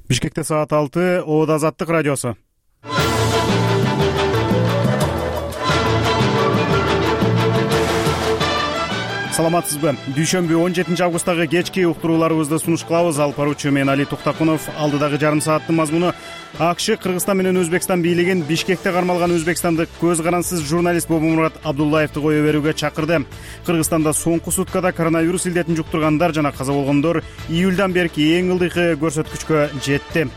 Бишкекте саат 6, Оодо Азаттык радиосу. Саламатсызбы? Дүйшөмбү 17 августтагы кечки уктурууларыбызды сунуш кылабыз. Алып баруучу мен Али Туктакунов. Алдыдагы жарым сааттын мазмуну: АКШ Кыргызстан менен Өзбекстан бийлигин Бишкекте кармалган өзбекстандык көз карансыз журналист Бобомурат Абдуллаевди кое берүүгө чакырды. Кыргызстанда соңку суткада коронавирус илдетин жуктургандар жана каза болгондор июлдан берки эң ылдыйкы көрсөткүчкө жетти.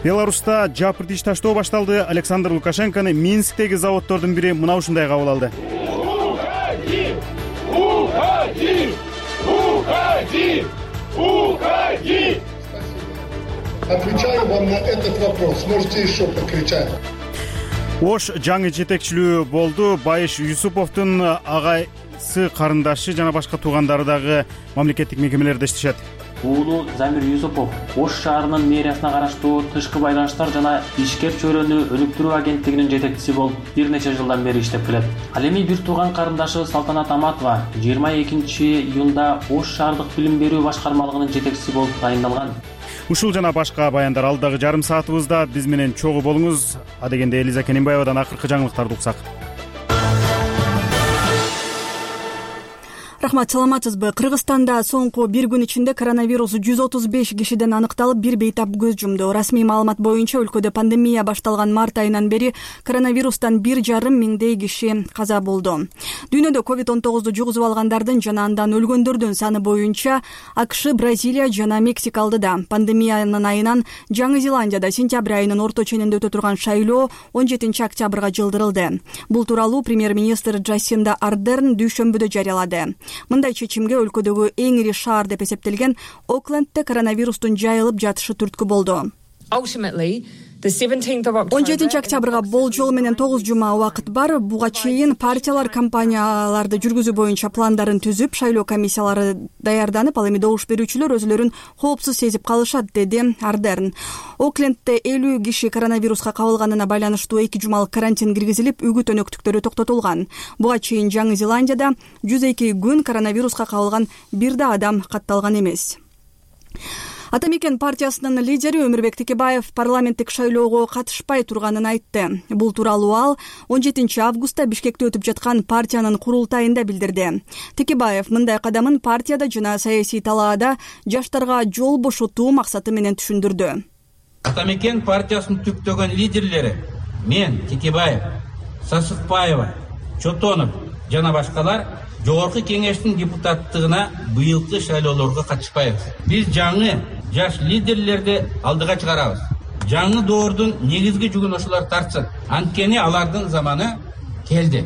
Беларуста жапырт иш таштоо башталды. Александр Лукашенкону Минсктеги заводдордун бири мына ушундай кабыл алды. Уходи! Отвечаю вам на этот вопрос. Можете еще покричать. Ош жаңы жетекчилүү болду. Байыш Юсуповдун агайсы, карындашы жана башка туугандары дагы мамлекеттик мекемелерде иштешет. Уулу Замир Юсупов Ош шаарынын мэриясына караштуу тышкы байланыштар жана ишкер чөйрөнү өнүктүрүү агенттигинин жетекчиси болуп бир нече жылдан бери иштеп келет. Ал эми бир тууган карындашы Салтанат Аматова 22 июнда Ош шаардык билим берүү башкармалыгынын жетекчиси болуп тайындалган. Ушул жана башка баяндар алдагы жарым саатыбызда. Биз менен чогуу болуңуз. Адегенде Элиза Кененбаевадан акыркы жаңылыктарды уксак. Рахмат, саламатсызбы? Кыргызстанда соңку бир күн ичинде коронавирус 135 кишиден аныкталып, бир бейтап көз жумду. Расмий маалымат боюнча өлкөдө пандемия башталган март айынан бери коронавирустан 1,5 миңдей киши каза болду. Дүйнөдө COVID-19 жугузуп алгандардын жана андан өлгөндөрдүн саны боюнча АКШ, Бразилия жана Мексика алдыда. Пандемиянын айынан Жаңы Зеландияда сентябрь айынын орто ченинде өтө турган шайлоо 17 октябрга жылдырылды. Бул тууралуу премьер-министр Джасинда Ардерн дүйшөмбүдө жарыялады. Мындай чечимге өлкөдөгү эң ири шаар деп эсептелген Оклендте коронавирустун жайылып жатышы түрткү болду. 17 октябрга болжол менен 9 жума убакыт бар. Буга чейин партиялар кампанияларды жүргүзүү боюнча пландарын түзүп, шайлоо комиссиялары даярданып, ал эми добуш берүүчүлөр өзүлөрүн коопсуз сезип калышат, деди Ардерн. Оклендте 50 киши коронавируска кабылганына байланыштуу 2 жумалык карантин киргизилип, үгүт өнөктүктөрү токтотулган. Буга чейин Жаңы Зеландияда 102 күн коронавируска кабылган бир да адам катталган эмес. Атамекен партиясынын лидери Өмүрбек Текебаев парламенттик шайлоого катышпай турганын айтты. Бул тууралуу ал 17 августта Бишкекте өтүп жаткан партиянын курултайында билдирди. Текебаев мындай кадамын партияда жана саясий талаада жаштарга жол бошотуу максаты менен түшүндүрдү. Атамекен партиясынын түптөгөн лидерлери мен, Текебаев, Сасыкбаева, Чотонов жана башкалар Жогорку кеңештин депутаттыгына быйылкы шайлоолорго катышпайбыз. Биз жаңы жаш лидерлерди алдыга чыгарабыз. Жаңы доордун негизги жүгүн ошолор тартсын. Анткени алардын заманы келди,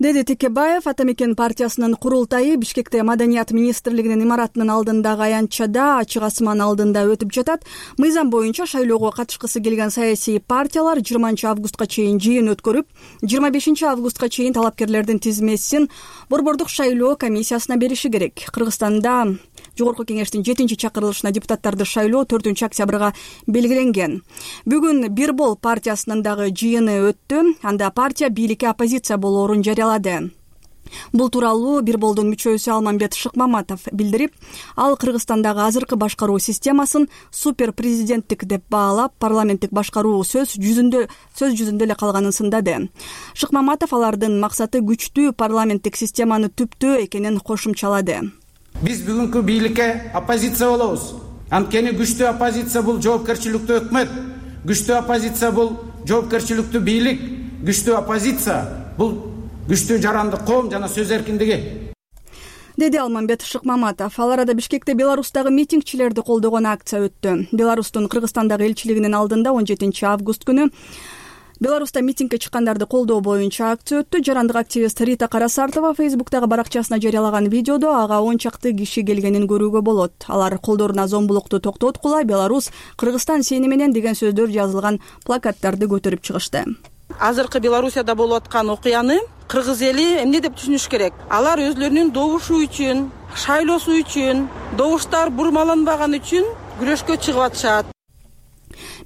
деди Текебаев. Атамекен партиясынын курултайы Бишкекте Маданият министрлигинин имаратынын алдындагы аянтчада ачык асман алдында өтүп жатат. Мыйзам боюнча шайлоого катышкысы келген саясий партиялар 20 августка чейин жыйын өткөрүп, 25 августка чейин талапкерлердин тизмесин борбордук шайлоо комиссиясына бериши керек. Кыргызстанда Жогорку кеңештин 7-чакырылышына депутаттарды шайлоо 4 октябрга белгиленген. Бүгүн Бир бол партиясынын дагы жыйыны өттү. Анда партия бийликке оппозиция болоорун жарыялады. Бул тууралуу Бир болдун мүчөсү Алмамбет Шыкмаматов билдирип, ал Кыргызстандагы азыркы башкаруу системасын супер президенттик деп баалап, парламенттик башкаруу сөз жүзүндө эле калганын сындады. Шыкмаматов алардын максаты күчтүү парламенттик системаны түптөө экенин кошумчалады. Биз бүгүнкү бийликке оппозиция болобуз. Анткени күчтүү оппозиция бул жоопкерчиликтүү өкмөт, күчтүү оппозиция бул жоопкерчиликтүү бийлик, күчтүү оппозиция бул күчтүү жарандык коом жана сөз эркиндиги, деди Алмамбет Шыкмаматов. Ал арада Бишкекте Беларустагы митингчилерди колдогон акция өттү. Беларустун Кыргызстандагы элчилигинин алдында 17 август күнү Беларуста митингге чыккандарды колдоо боюнча акция өттү. Жарандык активист Рита Карасартова Фейсбуктагы баракчасына жарыялаган видеодо ага 10 чакты киши келгенин көрүүгө болот. Алар колдоруна зомбулукту токтоткула, Беларусь, Кыргызстан сени менен деген сөздөр жазылган плакаттарды көтөрүп чыгышты. Азыркы Белоруссияда болуп аткан окуяны кыргыз эли эмне деп түшүнүш керек? Алар өзлөрүнүн добушу үчүн, шайлоосу үчүн, добуштар бурмаланбаган үчүн күрөшкө чыгып атышат.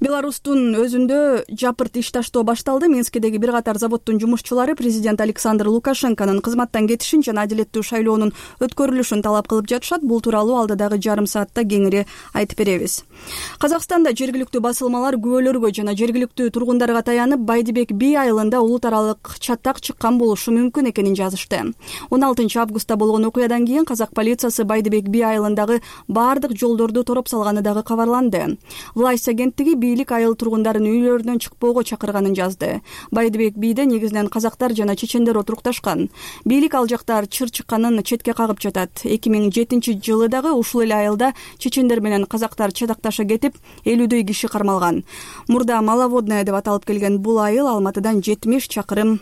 Беларустун өзүндө жапырт иш таштоо башталды. Минскидеги бир катар заводдун жумушчулары президент Александр Лукашенконун кызматтан кетишин жана адилеттүү шайлоонун өткөрүлүшүн талап кылып жатышат. Бул тууралуу алдыдагы жарым саатта кеңири айтып беребиз. Казакстанда жергиликтүү басылмалар күбөлөргө жана жергиликтүү тургундарга таянып, Байдыбек Би айылында улут аралык чатак чыккан болушу мүмкүн экенин жазышты. 16 августта болгон окуядан кийин казак полициясы Байдыбек Би айылындагы бардык жолдорду тороп салганы дагы кабарланды. Власть агенттиги бийлик айыл тургундарын үйлөрүнөн чыкпоого чакырганын жазды. Байдыбек Бийде негизинен казактар жана чечендер отурукташкан. Бийлик ал жактар чыр чыкканын четке кагып жатат. 2007-жылы дагы ушул эле айылда чечендер менен казактар чатакташа кетип, 50дөй киши кармалган. Мурда Маловодная деп аталып келген бул айыл Алматыдан 70 чакырым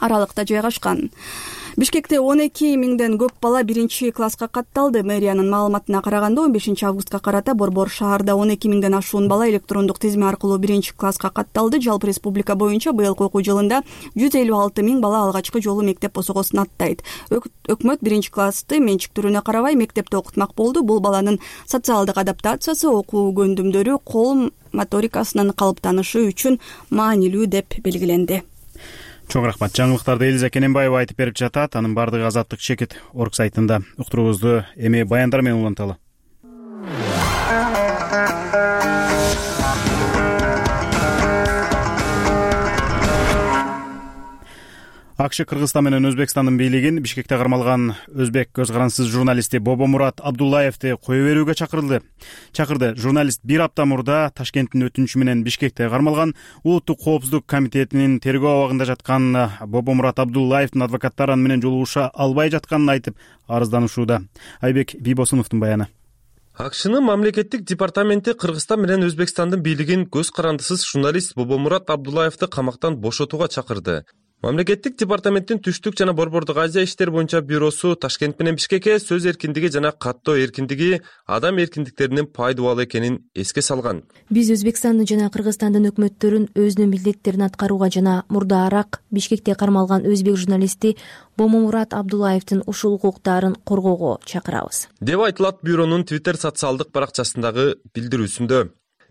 аралыкта жайгашкан. Бишкекте 12 миңден көп бала 1-класска катталды. Мэриянын маалыматына караганда 15 августка карата Борбор шаарда 12 миңден ашуун бала электрондук тизме аркылуу 1-класска катталды. Жалпы республика боюнча быйылкы окуу жылында 156 миң бала алгачкы жолу мектеп босогосун аттайт. Өкмөт 1-классты менчиктүүрүнө карабай мектепте окутмак болду. Бул баланын социалдык адаптациясы, окуу көндүмдөрү, кол моторикасынын калыптанышы үчүн маанилүү деп белгиленди. Чоң рахмат. Жаңылыктарды Элиза Кененбаева айтып берип жатат. Анын бардыгы Азаттык Чекит орг сайтында. Уктуруубузду эми баяндар менен уланталы. АКШ Кыргызстан менен Өзбекстандын бийлигин Бишкекте кармалган өзбек көз карансыз журналисти Бобомурат Абдуллаевди кое берүүгө чакырды. Журналист бир апта мурда Ташкенттин өтүнүчү менен Бишкекте кармалган. Улуттук коопсуздук комитетинин тергөө абагында жаткан Бобомурат Абдуллаевдин адвокаттары аны менен жолугуша албай жатканын айтып арызданышууда. Айбек Бийбосуновдун баяны. АКШнын мамлекеттик департаменти Кыргызстан менен Өзбекстандын бийлигин көз карандысыз журналист Бобомурат Абдуллаевди камактан бошотууга чакырды. Мамлекеттик департаменттин Түштүк жана Борбордук Азия иштер боюнча бюросу Ташкент менен Бишкекке сөз эркиндиги жана каттоо эркиндиги адам эркиндиктеринин пайдубал экенин эске салган. Биз Өзбекстандын жана Кыргызстандын өкмөттөрүн өзүнүн милдеттерин аткарууга жана мурдаараак Бишкекте кармалган өзбек журналисти Бобомурат Абдуллаевдин ушул укуктарын коргоого чакырабыз, деп айтылат бюронун Twitter социалдык баракчасындагы билдирүүсүндө.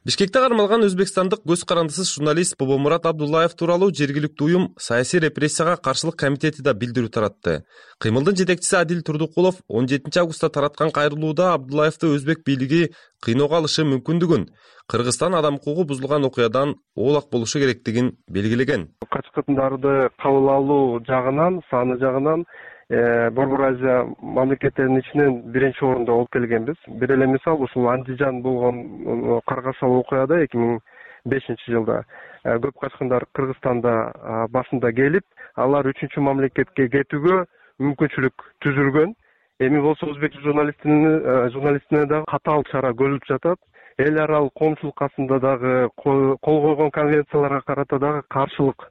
Бишкекте кармалган өзбекстандык көз карандысыз журналист Бобомурат Абдуллаев тууралуу жергиликтүү уюм саясий репрессияга каршылык комитети да билдирүү таратты. Кыймылдын жетекчиси Адил Турдукулов 17 августта тараткан кайрылууда Абдуллаевди өзбек бийлиги кыйноого алышы мүмкүндүгүн, Кыргызстан адам укугу бузулган окуядан оолак болушу керектигин белгилеген. Качкындарды кабыл алуу жагынан, саны жагынан Борбор Азия мамлекеттеринин ичинен биринчи орунда болуп келгенбиз. Бир эле мисал ушул Андижан болгон каргашал окуяда 2005-жылда көп качкындар Кыргызстанда башында келип, алар 3-мамлекетке кетүүгө мүмкүнчүлүк түзүлгөн. Эми болсо өзбек журналистине дагы катаал чара көрүлүп жатат. Эл аралык коомчулукасында дагы кол койгон конвенцияларга карата дагы каршылык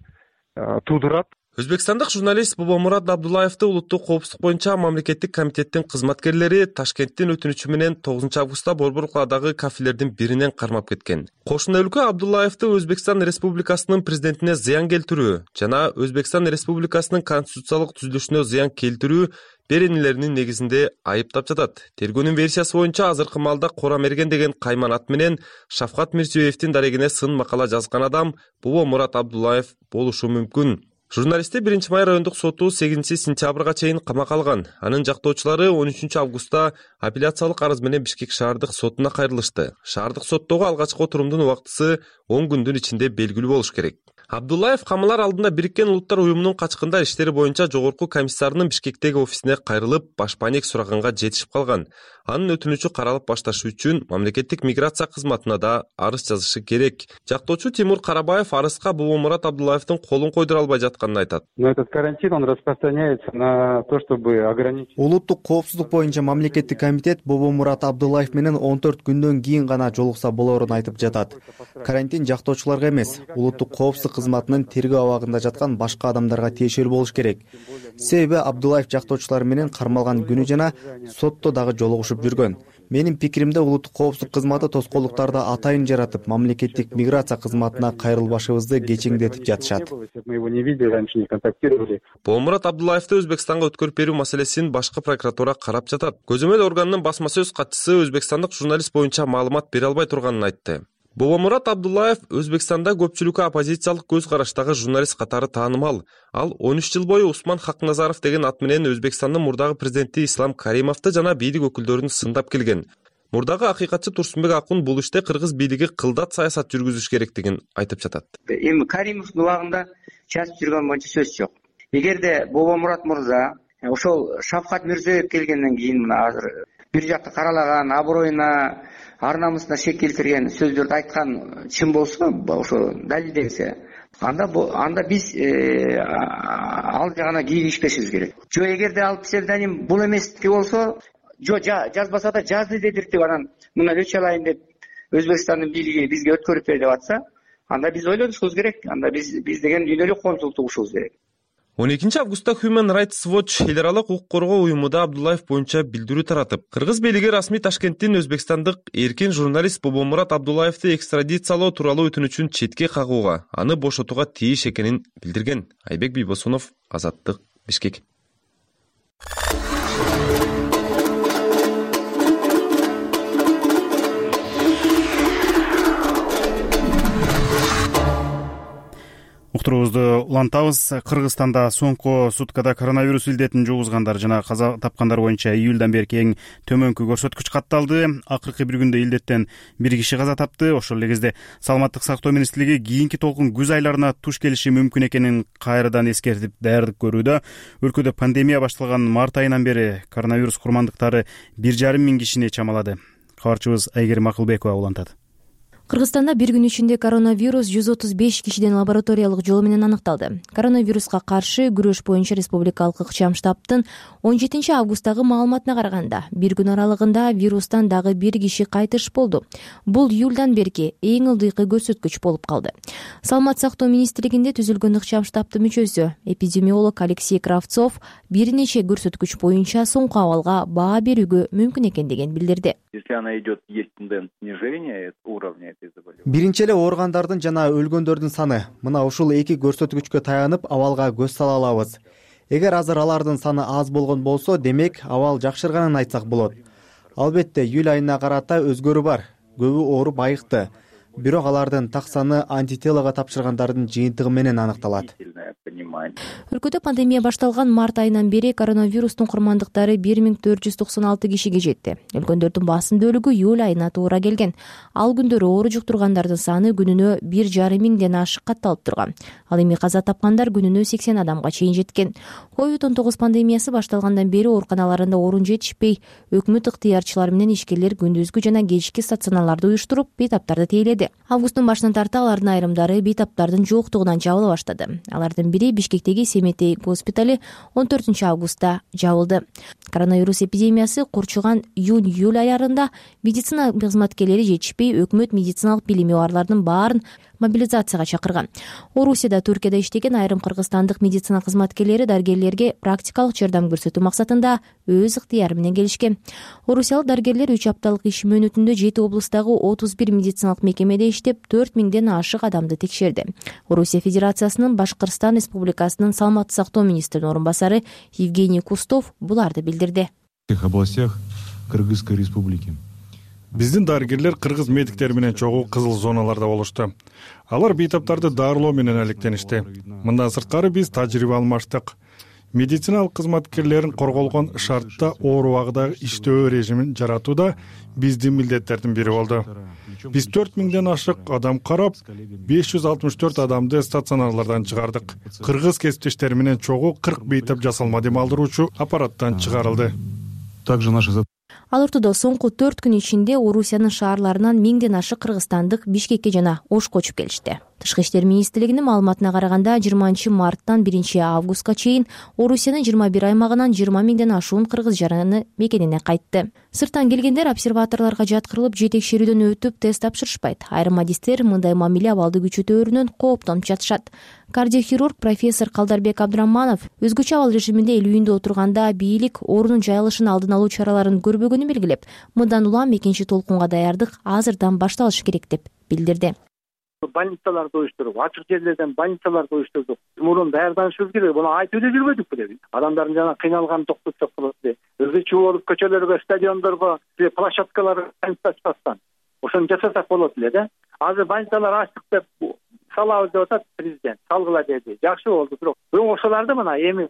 туудурат. Өзбекстандык журналист Бобомурат Абдуллаевди улуттук коопсуздук боюнча мамлекеттик комитеттин кызматкерлери Ташкенттин өтүнүчү менен 9 августта Борбор каладагы кафелердин биринен кармап кеткен. Кошуна өлкө Абдуллаевди Өзбекстан Республикасынын президентине зыян келтирүү жана Өзбекстан Республикасынын конституциялык түзүлүшүнө зыян келтирүү беренелеринин негизинде айыптап жатат. Тергөөнүн версиясы боюнча азыркы маалда Кора Мерген деген кайман ат менен Шавкат Мирзиёевдин дарегине сын макала жазган адам Бобомурат Абдуллаев болушу мүмкүн. Журналистти 1-май райондук соту 8-сентябрга чейин камакка алган. Анын жактоочулары 13 августта апелляциялык арыз менен Бишкек шаардык сотуна кайрылышты. Шаардык соттогу алгачкы отурумдун убактысы 10 күндүн ичинде белгилүү болуш керек. Абдуллаев камалар алдында Бириккен Улуттар уюмунун качкындар иштери боюнча жогорку комиссарынын Бишкектеги офисине кайрылып, башпаанек сураганга жетишип калган. Анын өтүнүчү каралып башташы үчүн мамлекеттик миграция кызматына да арыз жазышы керек. Жактоочу Тимур Карабаев арызга Бобомурат Абдуллаевдин колун койдура албай жатканын айтат. Но этот карантин, он распространяется на то, чтобы ограничить. Улуттук коопсуздук боюнча мамлекеттик комитет Бобомурат Абдуллаев менен 14 күндөн кийин гана жолукса болорун айтып жатат. Карантин жактоочуларга эмес, улуттук коопсуздук кызматынын тергөө абагында жаткан башка адамдарга тиешелүү болуш керек. Себеби Абдуллаев жактоочулар менен кармалган күнү жана сотто дагы жолугушуп жүргөн. Менин пикиримде улуттук коопсуздук кызматы тоскоолдуктарды атайын жаратып, мамлекеттик миграция кызматына кайрылбашыбызды кечеңдетип жатышат. Бобомурат Абдуллаевди Өзбекстанга өткөрүп берүү маселесин башкы прокуратура карап жатат. Көзөмөл органынын басма сөз катчысы өзбекстандык журналист боюнча маалымат бере албай турганын айтты. Бобомурат Абдуллаев Өзбекстанда көпчүлүккө оппозициялык көз караштагы журналист катары таанымал. Ал 13 жыл бою Усман Хакназаров деген ат менен Өзбекстандын мурдагы президенти Ислам Каримовду жана бийлик өкүлдөрүн сындап келген. Мурдагы акыйкатчы Турсунбек Акун бул иште кыргыз бийлиги кылдат саясат жүргүзүш керектигин айтып жатат. Эми Каримовдун убагында чачып жүргөн боюнча сөз жок. Эгерде Бобомурат мырза ошол Шавкат Мирзиёев келгенден кийин мына азыр бир жакты каралаган, аброюна, ар намысына шек келтирген сөздөрдү айткан чын болсо, ошо далилденсе, анда биз ал жагына кийигишпешибиз керек. Жо эгерде ал псевдоним бул эместики болсо, жо жазбаса да жазды дедиртип анан мына өчө алайын деп Өзбекстандын бийлиги бизге өткөрүп бер деп атса, анда биз ойлонушубуз керек. Анда биз деген үйдө эле консул тугушубуз керек. 12 августта Human Rights Watch эл аралык укук коргоо уюмуда Абдуллаев боюнча билдирүү таратып, кыргыз бийлиги расмий Ташкенттин өзбекстандык эркин журналист Бобомурат Абдуллаевди экстрадициялоо тууралуу өтүнүчүн четке кагууга, аны бошотууга тийиш экенин билдирген. Айбек Бийбосунов, Азаттык, Бишкек. Уктуруубузду улантабыз. Кыргызстанда соңку суткада коронавирус илдетин жугузгандар жана каза тапкандар боюнча июлдан бери эң төмөнкү көрсөткүч катталды. Акыркы бир күндө илдеттен бир киши каза тапты. Ошол эле кезде Саламаттык сактоо министрлиги кийинки толкун күз айларына туш келиши мүмкүн экенин кайрадан эскертип даярдык көрүүдө. Өлкөдө пандемия башталган март айынан бери коронавирус курмандыктары 1,5 миң кишини чамалады. Кабарчыбыз Айгерим Акылбекова улантат. Кыргызстанда бир күн ичинде коронавирус 135 кишиден лабораториялык жол менен аныкталды. Коронавируска каршы күрөш боюнча республикалык ыкчам штабтын 17 августтагы маалыматына караганда, бир күн аралыгында вирустан дагы бир киши кайтыш болду. Бул июлдан берки эң ылдыйкы көрсөткүч болуп калды. Саламат сактоо министрлигинде түзүлгөн ыкчам штабтын мүчөсү эпидемиолог Алексей Кравцов бир нече көрсөткүч боюнча соңку абалга баа берүүгө мүмкүн экендигин билдирди. Если она идет, есть тенденция снижения уровня. Биринчи эле ооругандардын жана өлгөндөрдүн саны мына ушул эки көрсөткүчкө таянып абалга көз сала алабыз. Эгер азыр алардын саны аз болгон болсо, демек абал жакшырганын айтсак болот. Албетте июль айына карата өзгөрүү бар. Көбү ооруп айыкты. Бирок алардын так саны антителого тапшыргандардын жыйынтыгы менен аныкталат. Өлкөдө пандемия башталган март айынан бери коронавирустун курмандыктары 1496 кишиге жетти. Өлгөндөрдүн басым бөлүгү июль айына туура келген. Ал күндөрү оору жуктургандардын саны күнүнө 1,5 миңден ашык катталып турган. Ал эми каза тапкандар күнүнө 80 адамга чейин жеткен. COVID-19 пандемиясы башталгандан бери ооруканаларында орун жетишпей, өкмөт ыктыярчылары менен ишкерлер күндүзгү жана кечки стационарларды уюштуруп, бейтаптарды тейледи. Августтун башынан тарта алардын айрымдары бейтаптардын жоктугунан жабыла баштады. Алардын бири Бишкектеги Семетей госпитали 14 августта жабылды. Коронавирус эпидемиясы курчуган июнь-июль айларында медицина кызматкерлери жетишпей, өкмөт медициналык билими барлардын баарын мобилизацияга чакырган. Орусияда, Түркияда иштеген айрым кыргызстандык медицина кызматкерлери дарыгерлерге практикалык жардам көрсөтүү максатында өз ыктыяры менен келишкен. Орусиялык дарыгерлер 3 апталык иш мөөнөтүндө 7 облустагы 31 медициналык мекемеде иштеп, 4 миңден ашык адамды текшерди. Орусия Федерациясынын Башкырстан Республикасынын Саламаттык сактоо министринин орун басары Евгений Кустов буларды билдирди. В всех областях Кыргызской республики. Биздин дарыгерлер кыргыз медиктери менен чогуу кызыл зоналарда болушту. Алар бейтаптарды дарылоо менен алектеништи. Мындан сырткары биз тажрыйба алмаштык. Медициналык кызматкерлерин корголгон шартта оору убагында иштөө режимин жаратууда биздин милдеттердин бири болду. Биз 4 миңден ашык адам карап, 564 адамды стационарлардан чыгардык. Кыргыз кесиптештери менен чогуу 40 бейтап жасалма дем алдыруучу аппараттан чыгарылды. Также наши Ал ортодо соңку 4 күн ичинде Орусиянын шаарларынан 1000ден ашык кыргызстандык Бишкекке жана Ошко көчүп келишти. Тышкы иштер министрлигинин маалыматына караганда 20 марттан 1 августка чейин Орусиянын 21 аймагынан 20 миңден ашуун кыргыз жараны мекенине кайтты. Сырттан келгендер обсерваторлорго жаткырылып, жетекшерүүдөн өтүп тест тапшырышпайт. Айрым адистер мындай мамиле абалды күчөтөөрүнөн кооптонуп жатышат. Кардиохирург профессор Калдарбек Абдраманов өзгөчө абал режиминде эл үйүндө отурганда бийлик оорунун жайылышын алдын алуу чараларын көрбөгөнүн белгилеп, мындан улам экинчи толкунга даярдык азырдан башталышы керек деп билдирди. Больницаларды уюштуруп, ачык жерлерден больницаларды уюштурдук. Мурун даярданышыбыз керек. Буну айтып эле жүрбөдүкпү деп. Адамдардын жана кыйналганын токтотсок болот деп. Өзгөчө болуп көчөлөргө, стадиондорго, площадкаларга ачпастан. ошону жасасак болот эле да. Азыр больницалар ачтык деп салабыз деп атат президент, салгыла деди. Жакшы болду, бирок ошолорду мына эми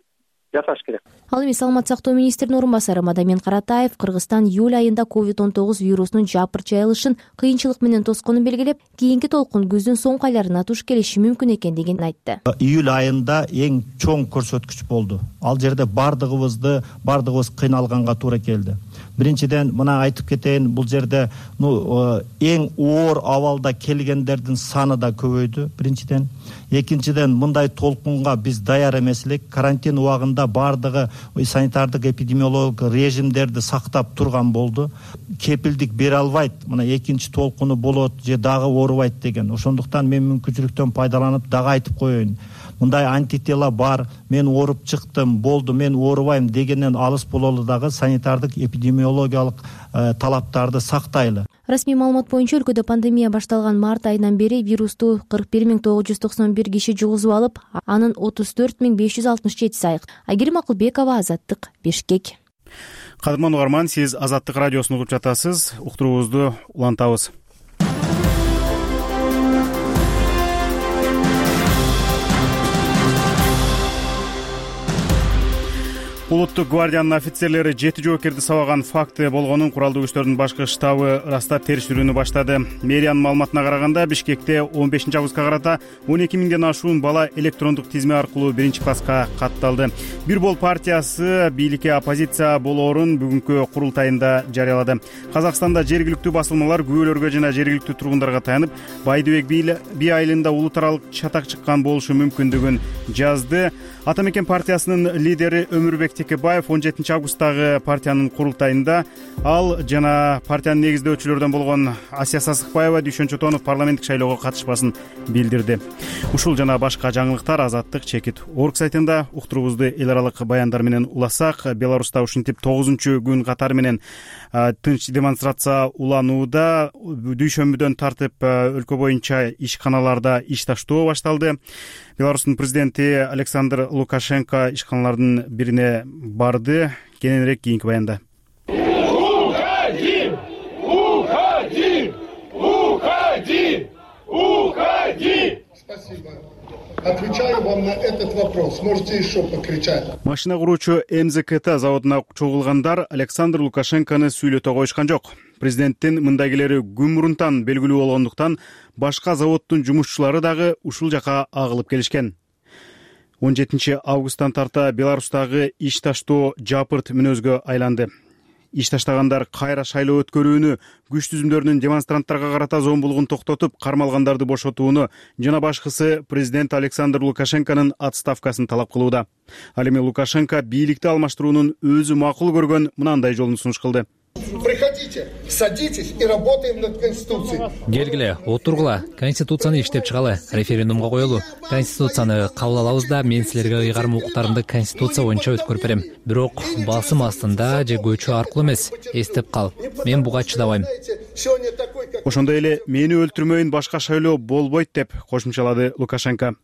жасаш керек. Ал эми саламаттык сактоо министринин орун басары Мадамин Каратаев Кыргызстан июль айында COVID-19 вирусунун жапырт жайылышын кыйынчылык менен тосконун белгилеп, кийинки толкун күздүн соңку айларына туш келиши мүмкүн экендигин айтты. Июль айында эң чоң көрсөткүч болду. Ал жерде бардыгыбыз кыйналганга туура келди. Биринчиден мына айтып кетейин, бул жерде эң оор абалда келгендердин саны да көбөйдү. Биринчиден, экинчиден мындай толкунга биз даяр эмес элек. Карантин убагында бардыгы санитардык эпидемиологиялык режимдерди сактап турган болду. Кепилдик бере албайт, мына экинчи толкуну болот же дагы оорубайт деген. Ошондуктан мен мүмкүнчүлүктөн пайдаланып дагы айтып коеюн. Мындай антитела бар, мен ооруп чыктым, болду, мен оорубайм дегенден алыс бололу дагы санитардык эпидемиологиялык талаптарды сактайлы. Расмий маалымат боюнча өлкөдө пандемия башталган март айынан бери вирусту 41.991 киши жугузуп алып, анын 34.567 айык. Айгерим Акылбекова, Азаттык, Бишкек. Кадырман угарман, сиз Азаттык радиосун угуп жатасыз. Уктуруубузду улантабыз. Улуттук гвардиянын офицерлери 7 жоокерди сабаган факты болгонун куралдуу күчтөрдүн башкы штабы ырастап териштирүүнү баштады. Мэриянын маалыматына караганда, Бишкекте 15 августка карата 12 миңден ашуун бала электрондук тизме аркылуу 1-класска катталды. Бир бол партиясы бийликке оппозиция болоорун бүгүнкү курултайында жарыялады. Казакстанда жергиликтүү басылмалар күбөлөргө жана жергиликтүү тургундарга таянып, Байдыбек би айылында улут аралык чатак чыккан болушу мүмкүндүгүн жазды. Ата мекен партиясынын лидери Өмүрбек Текебаев 17 августтагы партиянын курултайында ал жана партиянын негиздөөчүлөрдөн болгон Асия Сасыкбаева, Дүйшөн Чотонов парламенттик шайлоого катышпасын билдирди. Ушул жана башка жаңылыктар Азаттык чекит орг сайтында. Уктуруубузду эл аралык баяндар менен уласак, Беларуста ушинтип 9-күн катары менен тынч демонстрация уланууда. Дүйшөмбүдөн тартып өлкө боюнча ишканаларда иш таштоо башталды. Беларустун президенти Александр Лукашенко ишканалардын бирине барды. Кененирээк кийинки баянда. Уходи! Уходи! Уходи! Уходи! Спасибо. Отвечаю вам на этот вопрос. Можете еще покричать. Машина куруучу МЗКТ заводуна чогулгандар Александр Лукашенкону сүйлөтө коюшкан жок. Президенттин мындагилери күн мурунтан белгилүү болгондуктан башка заводдун жумушчулары дагы ушул жака агылып келишкен. 17 августтан тарта Беларустагы иш таштоо жапырт мүнөзгө айланды. Иш таштагандар кайра шайлоо өткөрүүнү, күч түзүмдөрүнүн демонстранттарга карата зомбулугун токтотуп, кармалгандарды бошотууну жана башкысы президент Александр Лукашенконун отставкасын талап кылууда. Ал эми Лукашенко бийликти алмаштыруунун өзү макул көргөн мынандай жолун сунуш кылды. Приходите, садитесь и работаем над Конституцией. Келгиле, отургула, Конституцияны иштеп чыгалы, референдумга коелу. Конституцияны кабыл алабыз да, мен силерге ыйгарым укуктарымды Конституция боюнча өткөрүп берем. Бирок басым астында же көчүү аркылуу эмес, эстеп кал. Мен буга чыдабайм. Ошондой эле мени өлтүрмөйүн, башка шайлоо болбойт деп кошумчалады Лукашенко.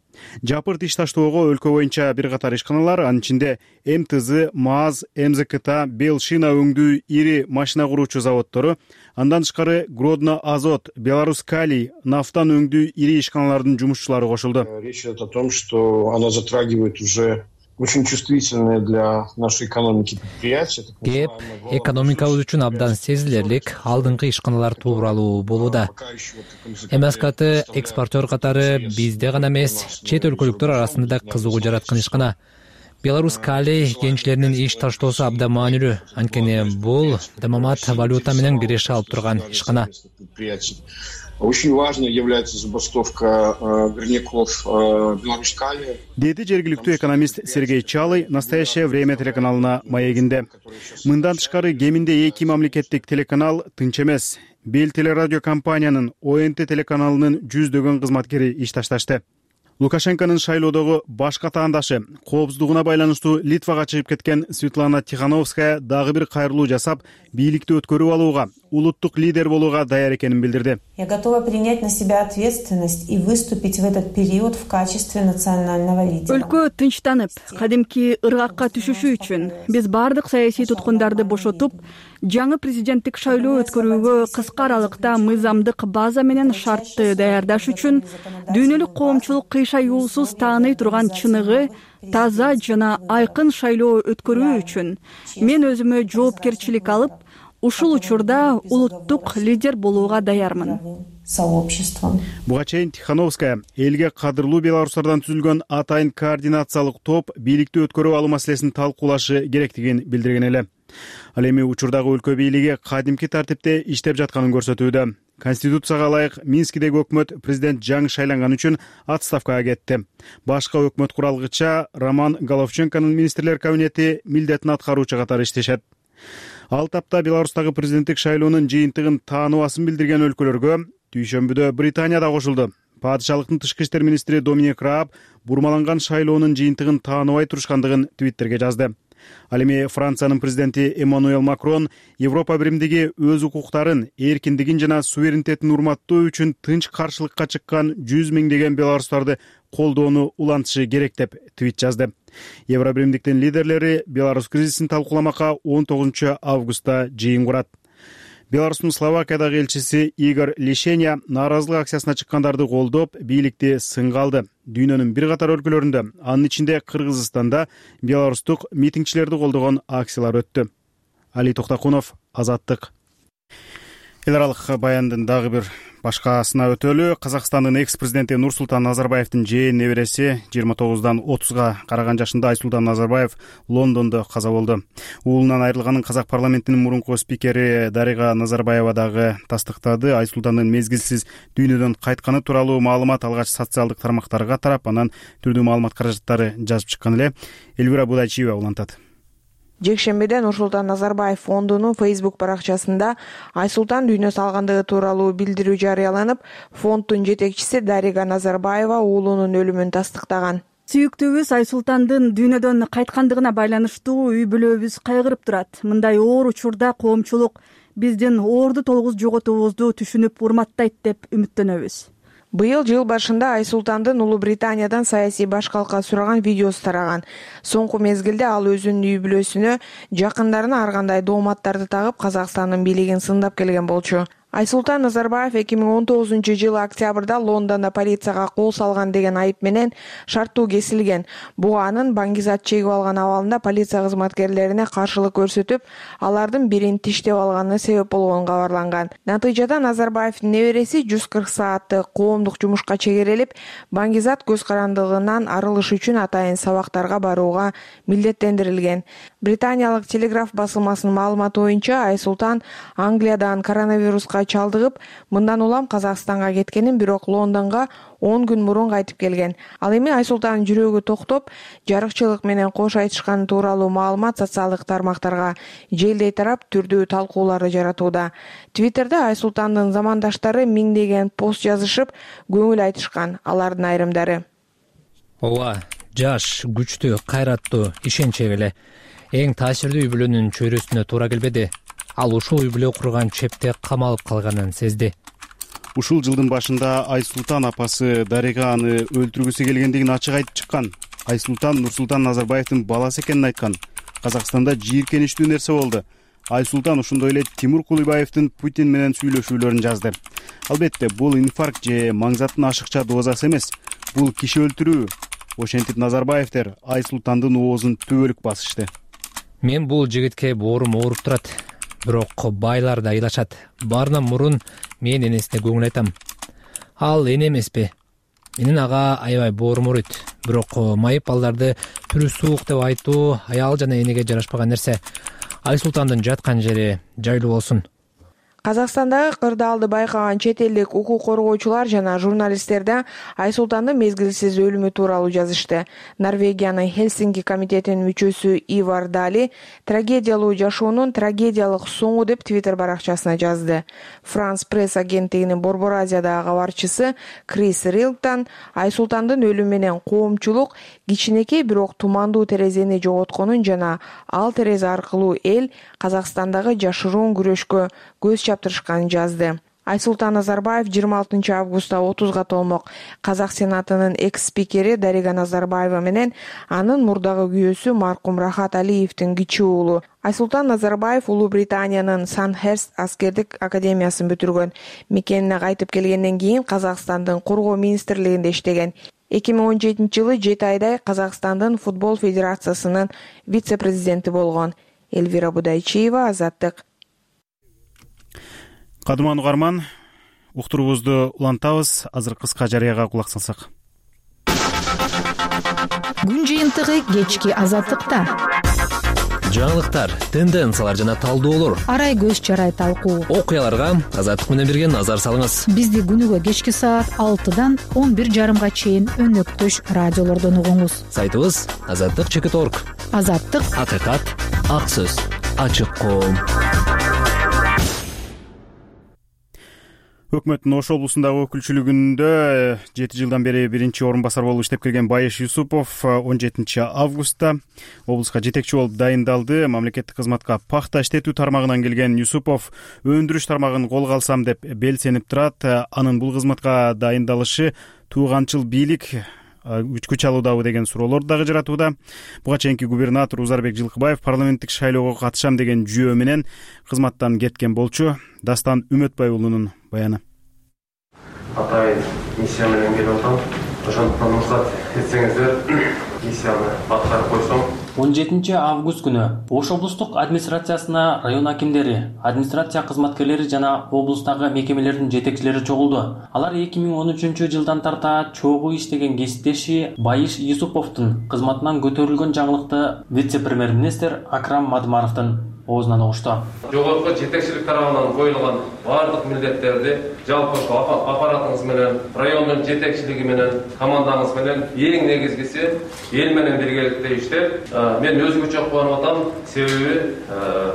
Жапырт иш таштоого өлкө боюнча бир катар ишканалар, анын ичинде МТЗ, МАЗ, МЗКТ, Белшина өңдүү ири машина куруучу заводдору, андан тышкары Гродно Азот, Беларусь Калий, нафтан өңдүү ири ишканалардын жумушчулары кошулду. Речь идет о том, что она затрагивает уже очень чувствительные для нашей экономики предприятия. Кеп экономикабыз үчүн абдан сезилерлик алдыңкы ишканалар тууралуу болууда. МСКТ экспортер катары бизде гана эмес, чет өлкөлүктөр арасында да кызыгуу жараткан ишкана. Беларусь Калий кенчлеринин иш таштоосу абдан маанилүү. Анткени бул дамамат валюта менен киреше алып турган ишкана. Очень важной является забастовка горняков Беларусь Калия. Деди жергиликтүү экономист Сергей Чалый «Настоящее время» телеканалына маегинде. Мындан тышкары кеминде 2 мамлекеттик телеканал тынч эмес. Бел телерадио компаниянын ОНТ телеканалынын жүздөгөн кызматкери иш ташташты. Лукашенконун шайлоодогу башка таандашы, коопсуздугуна байланыштуу Литвага чыгып кеткен Светлана Тихановская дагы бир кайрылуу жасап, бийликти өткөрүп алууга, улуттук лидер болууга даяр экенин билдирди. Я готова принять на себя ответственность и выступить в этот период в качестве национального лидера. Өлкө тынчтанып, кадимки ыргакка түшүшү үчүн биз бардык саясий туткундарды бошотуп, жаңы президенттик шайлоо өткөрүүгө кыска аралыкта мыйзамдык база менен шартты даярдаш үчүн дүйнөлүк коомчулук кыйшаюусуз тааный турган чыныгы, таза жана айкын шайлоо өткөрүү үчүн мен өзүмө жоопкерчилик алып, ушул учурда улуттук лидер болууга даярмын. Буга чейин Тихановская элге кадырлуу белорустардан түзүлгөн атайын координациялык топ бийликти өткөрүп алуу маселесин талкуулашы керектигин билдирген эле. Ал эми учурдагы өлкө бийлиги кадимки тартипте иштеп жатканын көрсөтүүдө. Конституцияга ылайык Минскидеги өкмөт президент жаңы шайланган үчүн отставкага кетти. Башка өкмөт куралгыча Роман Головченконун министрлер кабинети милдетин аткаруучу катары иштешет. Ал тапта Беларустагы президенттик шайлоонун жыйынтыгын тааныбасын билдирген өлкөлөргө дүйшөмбүдө Британия да кошулду. Падышалыктын тышкы иштер министри Доминик Рааб бурмаланган шайлоонун жыйынтыгын тааныбай турушкандыгын Твиттерге жазды. Ал эми Франциянын президенти Эммануэл Макрон Европа биримдиги өз укуктарын, эркиндигин жана суверенитетин урматтоо үчүн тынч каршылыкка чыккан 100 миңдеген белорустарды колдоону улантышы керек деп твит жазды. Евро биримдиктин лидерлери Беларусь кризисин талкууламакка 19 августта жыйын курат. Беларустун Словакиядагы элчиси Игорь Лишеня нааразылык акциясына чыккандарды колдоп, бийликти сынга алды. Дүйнөнүн бир катар өлкөлөрүндө, анын ичинде Кыргызстанда беларустук митингчилерди колдогон акциялар өттү. Али Токтакунов, Азаттык. Эл аралык баяндын дагы бир башкасына өтөлү. Казакстандын экс-президенти Нурсултан Назарбаевдин жээн небереси 29-дан 30-га караган жашында Айсултан Назарбаев Лондондо каза болду. Уулунан айрылганын казак парламентинин мурунку спикери Дарига Назарбаева дагы тастыктады. Айсултандын мезгилсиз дүйнөдөн кайтканы тууралуу маалымат алгач социалдык тармактарга тарап, анан түрдүү маалымат каражаттары жазып чыккан эле. Элвира Будайчиева улантат. Жекшембиде Нурсултан Назарбаев фондунун Facebook баракчасында Айсултан дүйнө салгандыгы тууралуу билдирүү жарыяланып, фонддун жетекчиси Дарига Назарбаева уулунун өлүмүн тастыктаган. Сүйүктүүбүз Айсултандын дүйнөдөн кайткандыгына байланыштуу үй бүлөбүз кайгырып турат. Мындай оор учурда коомчулук биздин оорду толгуз жоготуубузду түшүнүп урматтайт деп үмүттөнөбүз. Быйыл жыл башында Айсултандын Улуу Британиядан саясий башкалка сураган видеосу тараган. Соңку мезгилде ал өзүнүн үй бүлөсүнө, жакындарына ар кандай дооматтарды тагып Казакстандын бийлигин сындап келген болчу. Айсултан Назарбаев 2019-жылы октябрда Лондондо полицияга кол салган деген айып менен шарттуу кесилген. Бул анын баңгизат чегип алган абалында полиция кызматкерлерине каршылык көрсөтүп, алардын бирин тиштеп алганына себеп болгону кабарланган. Натыйжада Назарбаевдин небереси 140 сааттык коомдук жумушка чегерилип, баңгизат көз карандылыгынан арылыш үчүн атайын сабактарга барууга милдеттендирилген. Британиялык Телеграф басылмасынын маалыматы боюнча Айсултан Англиядан коронавируска чалдыгып, мындан улам Казакстанга кеткенин, бирок Лондонго 10 күн мурун кайтып келген. Ал эми Айсултандын жүрөгү токтоп, жарыкчылык менен кош айтышканы тууралуу маалымат социалдык тармактарга желдей тарап, түрдүү талкууларды жаратууда. Твиттерде Айсултандын замандаштары миңдеген пост жазышып, көңүл айтышкан. Алардын айрымдары: ооба, жаш, күчтүү, кайраттуу, ишенчек эле. Эң таасирдүү үй бүлөнүн чөйрөсүнө туура келбеди. Ал ушул үй бүлө курган чепте камалып калганын сезди. Ушул жылдын башында Айсултан апасы Дарига аны өлтүргүсү келгендигин ачык айтып чыккан. Айсултан Нурсултан Назарбаевдин баласы экенин айткан. Казакстанда жийиркеничтүү нерсе болду. Айсултан ошондой эле Тимур Кулыбаевдин Путин менен сүйлөшүүлөрүн жазды. Албетте, бул инфаркт же маңзаттын ашыкча дозасы эмес. Бул киши өлтүрүү. Ошентип Назарбаевдер Айсултандын оозун түбөлүк басышты. Мен бул жигитке боорум ооруп турат. Бирок байлар да ыйлашат. Баарынан мурун мен энесине көңүл айтам. Ал эне эмеспи? Менин ага аябай боорум ооруйт. Бирок майып балдарды түрү суук деп айтуу аял жана энеге жарашпаган нерсе. Айсултандын жаткан жери жайлуу болсун. Казакстандагы кырдаалды байкаган чет элдик укук коргоочулар жана журналисттер да Айсултандын мезгилсиз өлүмү тууралуу жазышты. Норвегиянын Хельсинки комитетинин мүчөсү Ивар Дали трагедиялуу жашоонун трагедиялык соңу деп Твиттер баракчасына жазды. Франс пресс агенттигинин Борбор Азиядагы кабарчысы Крис Рилтон Айсултандын өлүмү менен коомчулук кичинекей бирок тумандуу терезени жоготконун жана ал терезе аркылуу эл Казакстандагы жашыруун күрөшкө көз чаптырышканын жазды. Айсултан Назарбаев 26 августта 30 толмок. Казак Сенатынын экс-спикери Дарига Назарбаева менен анын мурдагы күйөөсү маркум Рахат Алиевдин кичүү уулу. Айсултан Назарбаев Улуу Британиянын Сандхерст аскердик академиясын бүтүргөн. Мекенине кайтып келгенден кийин Казакстандын Коргоо министрлигинде иштеген. 2017-жылы 7 айдай Казакстандын футбол федерациясынын вице-президенти болгон. Элвира Будайчиева, Азаттык. Кадыман угарман, уктуруубузду улантабыз. Азыр кыска жарыяга кулак салсак. Күн жыйынтыгы кечки Азаттыкта. Жаңылыктар, тенденциялар жана талдоолор. Арай көз чарай талкуу. Окуяларга Азаттык менен бирге назар салыңыз. Бизди күнүгө кечки саат 6-дан 11:30 чейин өнөктөш радиолордон угуңуз. Сайтыбыз azattik.org. Азаттык, акыйкат, ак сөз, ачык коом. Өкмөттүн Ош облусундагы өкүлчүлүгүндө 7 жылдан бери биринчи орун басар болуп иштеп келген Байыш Юсупов 17 августта облуска жетекчи болуп дайындалды. Мамлекеттик кызматка пахта иштетүү тармагынан келген Юсупов өндүрүш тармагын колго алсам деп белсенип турат. Анын бул кызматка дайындалышы тууганчыл бийлик күч алуудабы деген суроолор дагы жаратууда. Буга чейинки губернатор Узарбек Жылкыбаев парламенттик шайлоого катышам деген жүйөө менен кызматтан кеткен болчу. Дастан Үмөтбай уулунун баяны. Атайын миссия менен келип атам. Ошондуктан уруксат этсеңиздер, миссияны аткарып койсом. 17 август күнү Ош облустук администрациясына район акимдери, администрация кызматкерлери жана облустагы мекемелердин жетекчилери чогулду. Алар 2013 жылдан тарта чогуу иштеген кесиптеши Байыш Юсуповдун кызматынан көтөрүлгөн жаңылыкты вице-премьер-министр Акрам Мадмаровдун оозунан угушту. Жогорку жетекчилик тарабынан коюлган бардык милдеттерди жалпы аппаратыңыз менен, райондун жетекчилиги менен, командаңыз менен эң негизгиси эл менен биргеликте иштеп, мен өзгөчө кубанып атам. Себеби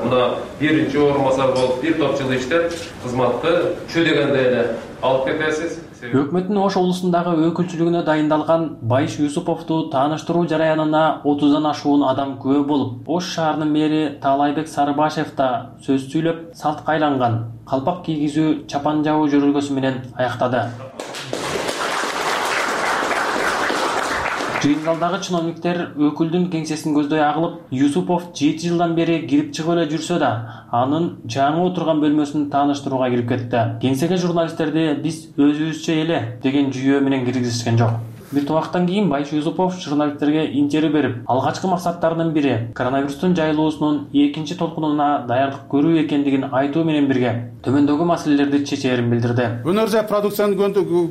мына биринчи орун басар болуп бир топ жыл иштеп, кызматты чү дегенде эле алып кетесиз. Өкмөттүн Ош облусундагы өкүлчүлүгүнө дайындалган Байыш Юсуповду тааныштыруу жараянына 30дан ашуун адам күбө болуп, Ош шаарынын мэри Таалайбек Сарыбашев да сөз сүйлөп, салтка айланган калпак кийгизүү чапан жабуу жөрөлгөсү менен аяктады. Жыйындалдагы чиновниктер өкүлдүн кеңсесин көздөй агылып, Юсупов 7 жылдан бери кирип чыгып эле жүрсө да, анын жаңы отурган бөлмөсүн тааныштырууга кирип кетти. Кеңсеге журналисттерди биз өзүбүзчө эле деген жүйөө менен киргизишкен жок. Бир убакыттан кийин Байыш Юсупов журналисттерге интервью берип, алгачкы максаттарынын бири коронавирустун жайылуусунун экинчи толкунуна даярдык көрүү экендигин айтуу менен бирге төмөндөгү маселелерди чечээрин билдирди. Өнөр жай продукциянын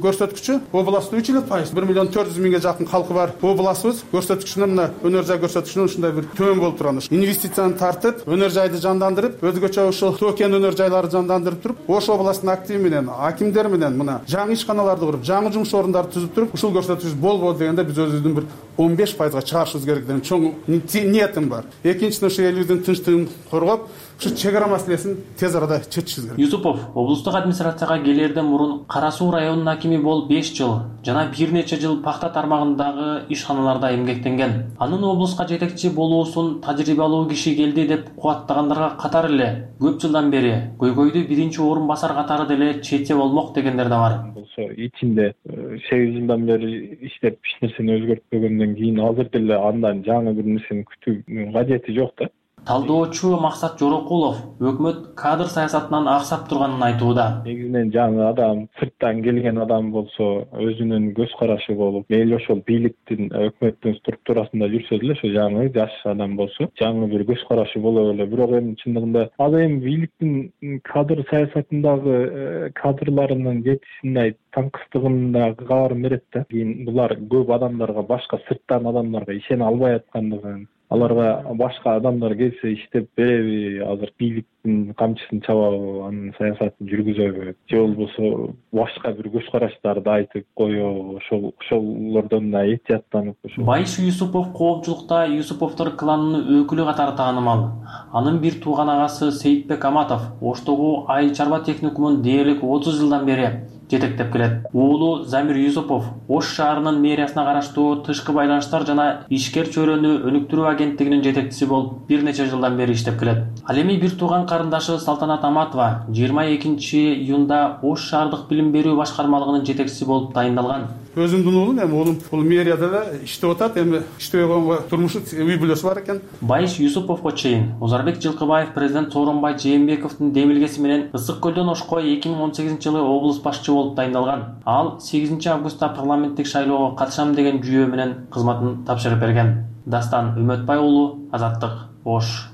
көрсөткүчү областта 3,5%, 1,400,000 жакын калкы бар областыбыз көрсөткүчүнөн мына өнөр жай көрсөткүчүнөн ушундай бир төмөн болуп турган. Инвестицияны тартып, өнөр жайды жандандырып, өзгөчө ушул токен өнөр жайларды жандандырып туруп, Ош областынын активи менен, акимдер менен мына жаңы ишканаларды куруп, жаңы жумуш орундарды түзүп туруп, ушул көрсөткүч болбоду дегенде биз өзүбүздүн бир 15%га чыгарышыбыз керек деген чоң ниетим бар. Экинчиден ушу элибиздин тынчтыгын коргоп, ушу чек ара маселесин тез арада чечишибиз керек. Юсупов облустук администрацияга келерден мурун Кара Суу районунун акими болуп 5 жыл жана бир нече жыл пахта тармагындагы ишканаларда эмгектенген. Анын облуска жетекчи болуусун тажрыйбалуу киши келди деп кубаттагандарга катары эле көп жылдан бери көйгөйдү биринчи орун басар катары деле чече болмок дегендер да бар. Ичинде 8 жылдан бери иштеп эч нерсени өзгөртпөгөндөн кийин азыр деле андан жаңы бир нерсени күтүүнүн кажети жок да. Талдоочу Максат Жорокулов өкмөт кадр саясатынан аксап турганын айтууда. Негизинен жаңы адам, сырттан келген адам болсо, өзүнүн көз карашы болуп, мейли ошол бийликтин, өкмөттүн структурасында жүрсө деле, ошо жаңы жаш адам болсо, жаңы бир көз карашы боло эле. Бирок эми чындыгында ал эми бийликтин кадр саясатындагы кадрларынын жетишиндей таңкыстыгын да кабарын берет да. Кийин булар көп адамдарга, башка сырттан адамдарга ишене албай аткандыгын, аларга башка адамдар келсе иштеп береби, азыр бийликтин камчысын чабабы, анын саясатын жүргүзөбү, же болбосо башка бир көз караштарды айтып коёбу, ошолордон да этияттанып ошо. Байыш Юсупов коомчулукта Юсуповдор кланынын өкүлү катары таанымал. Анын бир тууган агасы Сейитбек Аматов Оштогу айыл чарба техникумун дээрлик 30 жылдан бери жетектеп келет. Уулу Замир Юсупов Ош шаарынын мэриясына караштуу тышкы байланыштар жана ишкер чөйрөнү өнүктүрүү агенттигинин жетекчиси болуп бир нече жылдан бери иштеп келет. Ал эми бир тууган карындашы Салтанат Аматова 22 июнда Ош шаардык билим берүү башкармалыгынын жетекчиси болуп тайындалган. Өзүмдүн уулум эми уулум бул мэрияда да иштеп атат. Эми иштебей койгонго турмушу үй бүлөсү бар экен. Байыш Юсуповго чейин Озарбек Жылкыбаев президент Сооронбай Жээнбековдун демилгеси менен Ысык көлдөн Ошко 2018-жылы облус башчы болуп тайындалган. Ал 8 августта парламенттик шайлоого катышам деген жүйө менен кызматын тапшырып берген. Дастан Үмөтбай уулу, Азаттык, Ош.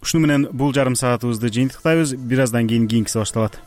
Ушуну менен бул жарым саатыбызды жыйынтыктайбыз. Бир аздан кийин кийинкиси башталат.